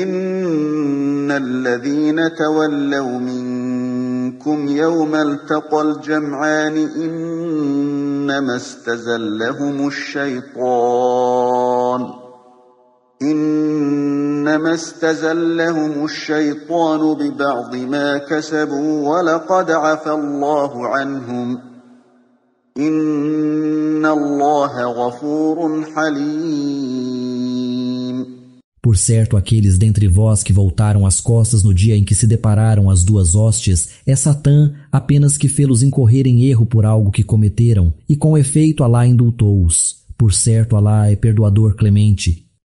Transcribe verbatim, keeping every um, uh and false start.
إن الذين تولوا منكم يوم التقى الجمعان إنما استزلهم الشيطان إنما استزلهم الشيطان ببعض ما كسبوا ولقد عفا الله عنهم إن الله غفور حليم. Por certo, aqueles dentre vós que voltaram as costas no dia em que se depararam as duas hostes, é Satã apenas que fê-los incorrer em erro por algo que cometeram, e com efeito Alá indultou-os. Por certo, Alá é perdoador clemente.